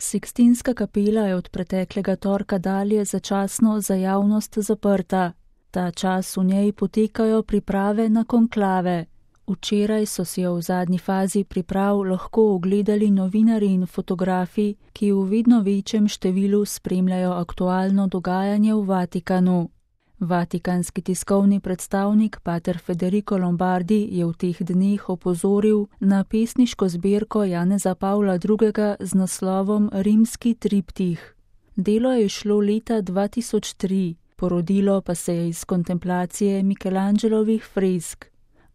Sikstinska kapela je od preteklega torka dalje začasno za javnost zaprta. Ta čas v njej potekajo priprave na konklave. Včeraj so si jo v zadnji fazi priprav lahko ogledali novinarji in fotografi, ki v vedno večjem številu spremljajo aktualno dogajanje v Vatikanu. Vatikanski tiskovni predstavnik pater Federico Lombardi je v teh dneh opozoril na pesniško zbirko Janeza Pavla II. Z naslovom Rimski triptih. Delo je šlo leta 2003, porodilo pa se je iz kontemplacije Michelangelovih fresk.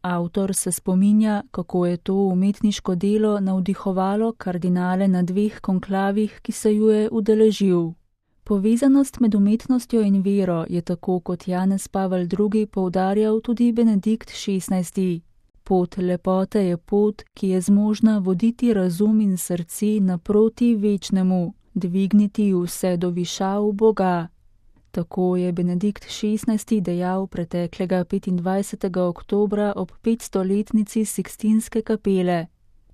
Avtor se spominja, kako je to umetniško delo navdihovalo kardinale na 2 konklavih, ki se ju je udeležil. Povezanost med umetnostjo in vero je tako kot Janez Pavel II. Poudarjal tudi Benedikt XVI. Pot lepote je pot, ki je zmožna voditi razum in srce naproti večnemu, dvigniti vse do višav Boga. Tako je Benedikt XVI. Dejal preteklega 25. oktobra ob 500-letnici Sikstinske kapele.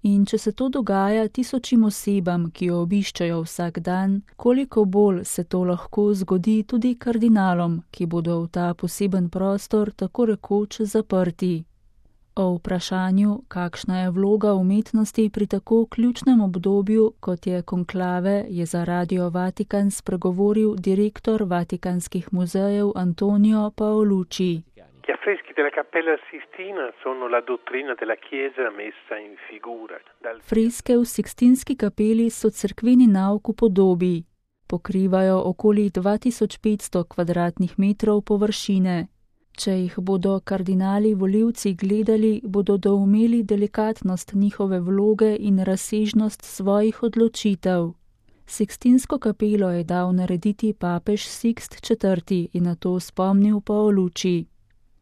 In če se to dogaja tisočim osebam, ki jo obiščajo vsak dan, koliko bolj se to lahko zgodi tudi kardinalom, ki bodo v ta poseben prostor tako rekoč zaprti. O vprašanju, kakšna je vloga umetnosti pri tako ključnem obdobju, kot je konklave, je za Radio Vatikan spregovoril direktor Vatikanskih muzejev Antonio Paolucci. Gli affreschi della Cappella Sistina sono la dottrina della Chiesa messa in figura. Freske v Sikstinski kapeli so cerkveni nauk v podobi. Pokrivajo okoli 2500 kvadratnih metrov površine. Če jih bodo kardinali volivci gledali, bodo doumeli delikatnost njihove vloge in razsežnost svojih odločitev. Sikstinsko kapelo je dal narediti papež Sikst IV. In na to spomnil Paolucci.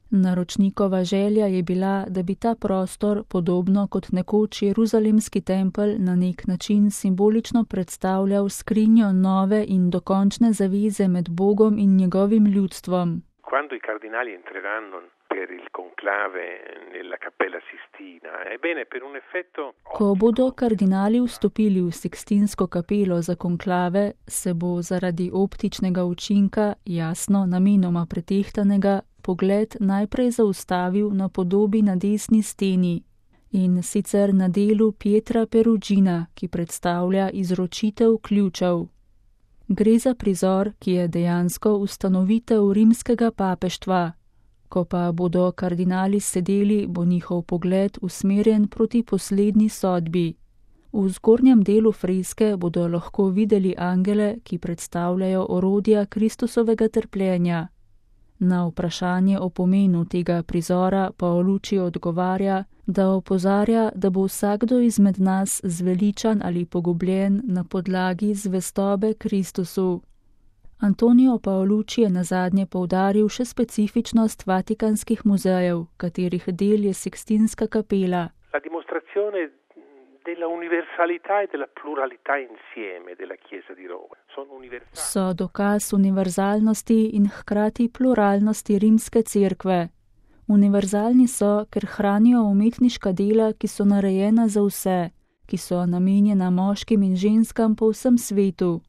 Naročnikova želja je bila, da bi ta prostor, podobno kot nekoč Jeruzalemski tempelj, na nek način simbolično predstavljal skrinjo nove in dokončne zaveze med Bogom in njegovim ljudstvom. Quando i cardinali entreranno per il conclave nella Cappella Sistina, ebbene per un effetto... Ko bodo kardinali vstopili v Sikstinsko kapelo za konklave, se bo zaradi optičnega učinka, jasno namenoma pretehtanega, pogled najprej zaustavil na podobi na desni steni, in sicer na delu Pietra Perugina, ki predstavlja izročitev ključev. Gre za prizor, ki je dejansko ustanovitev rimskega papeštva. Ko pa bodo kardinali sedeli, bo njihov pogled usmerjen proti poslednji sodbi. V zgornjem delu freske bodo lahko videli angele, ki predstavljajo orodja Kristusovega trpljenja. Na vprašanje o pomenu tega prizora Paolucci odgovarja, da opozarja, da bo vsakdo izmed nas zveličan ali pogubljen na podlagi zvestobe Kristusu. Antonio Paolucci je nazadnje poudaril še specifičnost Vatikanskih muzejev, katerih del je Sikstinska kapela. La dimostrazione della universalità e della pluralità insieme della Chiesa di Roma. So dokaz univerzalnosti in hkrati pluralnosti rimske cerkve. Univerzalni so, ker hranijo umetniška dela, ki so narejena za vse, ki so namenjena moškim in ženskam po vsem svetu.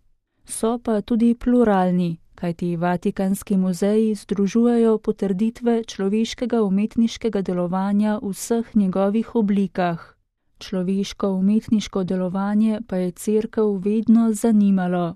So pa tudi pluralni, kajti Vatikanski muzeji združujejo potrditve človeškega umetniškega delovanja v vseh njegovih oblikah. Človeško umetniško delovanje pa je cerkev vedno zanimalo.